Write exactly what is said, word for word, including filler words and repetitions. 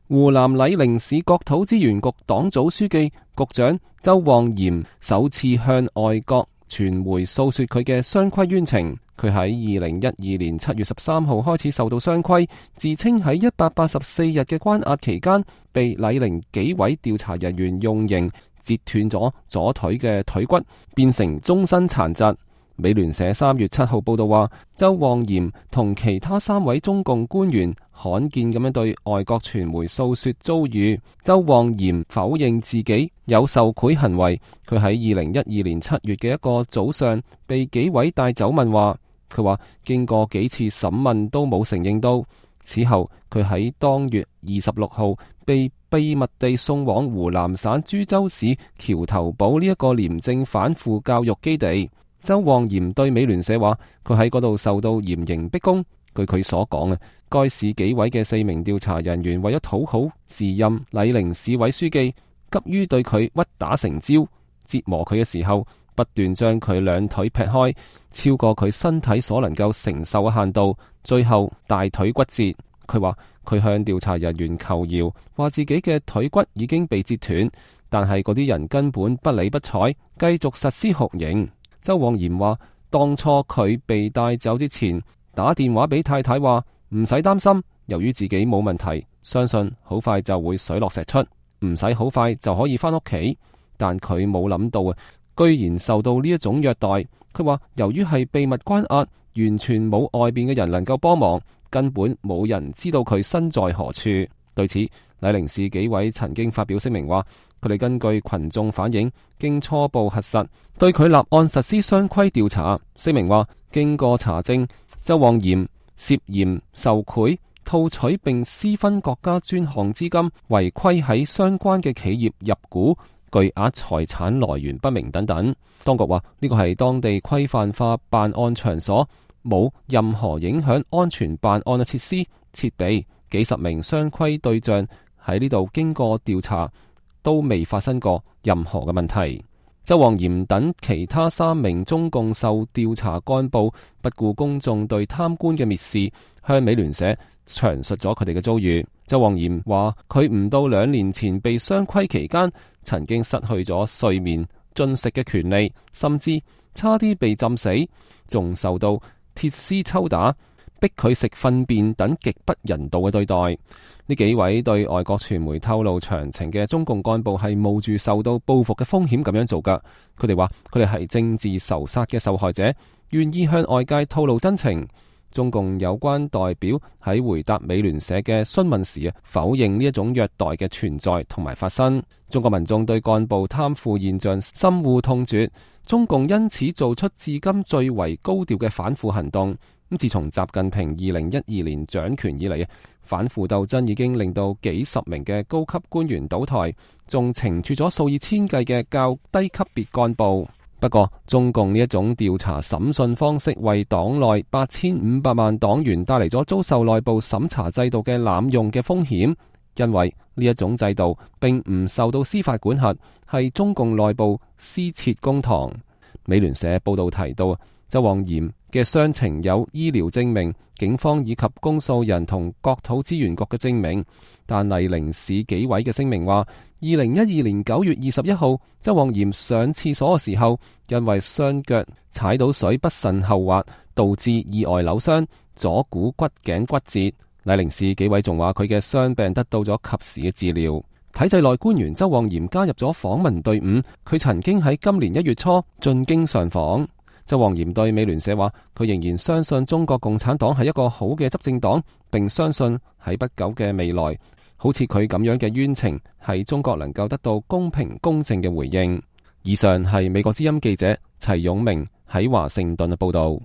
湖南酈寧市國土資源局黨組書記、局長周旺賢首次向外國傳媒訴說佢嘅雙規冤情。佢喺二零一二年七月十三號開始受到雙規，自稱喺一百八十四日嘅關押期間，被酈寧紀委調查人員用刑截斷咗左腿嘅腿骨，變成終身殘疾。美聯社三月七號報道話，周旺賢同其他三位中共官員罕見咁樣對外國傳媒訴說遭遇。周旺賢否認自己有受賄行為。佢喺二零一二年七月嘅一個早上被紀委帶走問話，佢話經過幾次審問都冇承認到。此後佢喺當月二十六號被秘密地送往湖南省株洲市橋頭堡呢一個廉政反腐教育基地。周旺賢對美聯社話，佢喺嗰度受到嚴刑逼供。據佢所講啊，該市紀委嘅四名調查人員為咗討好時任酈寧市委書記，急於對佢屈打成招，折磨佢嘅時候，不斷將佢兩腿劈開，超過佢身體所能夠承受嘅限度，最後大腿骨折。佢話佢向調查人員求饒，話自己嘅腿骨已經被折斷，但係嗰啲人根本不理不睬，繼續實施酷刑。周旺賢話，當初佢被帶走之前，打電話俾太太話唔使擔心，由於自己冇問題，相信好快就會水落石出，唔使好快就可以返屋企。但佢冇諗到啊，居然受到呢一種虐待。佢話由於係秘密關押，完全冇外邊嘅人能夠幫忙，根本冇人知道佢身在何處。對此，酈寧市紀委曾經發表聲明話，佢哋根據群眾反映，經初步核實，對佢立案實施雙規調查。聲明話，經過查證，周旺賢涉嫌受賄、套取並私分國家專項資金、違規喺相關嘅企業入股、巨額財產來源不明等等。當局話呢個係當地規範化辦案場所，冇任何影響安全辦案嘅設施設備，幾十名雙規對象喺呢度經過調查，都未發生過任何嘅問題。周旺賢等其他三名中共受調查幹部不顧公眾對貪官嘅蔑視，向美聯社詳述咗佢哋嘅遭遇。周旺賢話佢唔到兩年前被雙規期間，曾經失去咗睡眠、進食嘅權利，甚至差啲被浸死，仲受到鐵絲抽打、逼佢食糞便等極不人道嘅對待。呢幾位對外國傳媒透露詳情嘅中共幹部係冒住受到報復嘅風險咁樣做噶。佢哋話佢哋係政治仇殺嘅受害者，願意向外界透露真情。中共有關代表喺回答美聯社嘅詢問時啊，否認呢一種虐待嘅存在同埋發生。中國民眾對幹部貪腐現象深惡痛絕，中共因此做出至今最為高調嘅反腐行動。咁自從習近平二零一二年掌權以嚟，反腐鬥爭已經令到幾十名嘅高級官員倒台，仲懲處咗數以千計嘅較低級別幹部。不過，中共呢一種調查審訊方式，為黨內八千五百萬黨員帶嚟咗遭受內部審查制度嘅濫用嘅風險，因為呢一種制度並唔受到司法管轄，係中共內部私設公堂。美聯社報道提到，周旺賢嘅傷情有醫療證明、警方以及公訴人同國土資源局嘅證明，但酈寧市紀委嘅聲明話，二零一二年九月二十一號，周旺賢上廁所嘅時候，因為雙腳踩到水不慎後滑，導致意外扭傷，左股骨頸骨折。酈寧市紀委仲話佢嘅傷病得到咗及時嘅治療。體制內官員周旺賢加入咗訪問隊伍，佢曾經喺今年一月初進京上訪。周旺賢對美聯社話，佢仍然相信中國共產黨係一個好嘅執政黨，並相信喺不久嘅未來，好似佢咁樣嘅冤情喺中國能夠得到公平公正嘅回應。以上係美國之音記者齊勇明喺華盛頓嘅報道。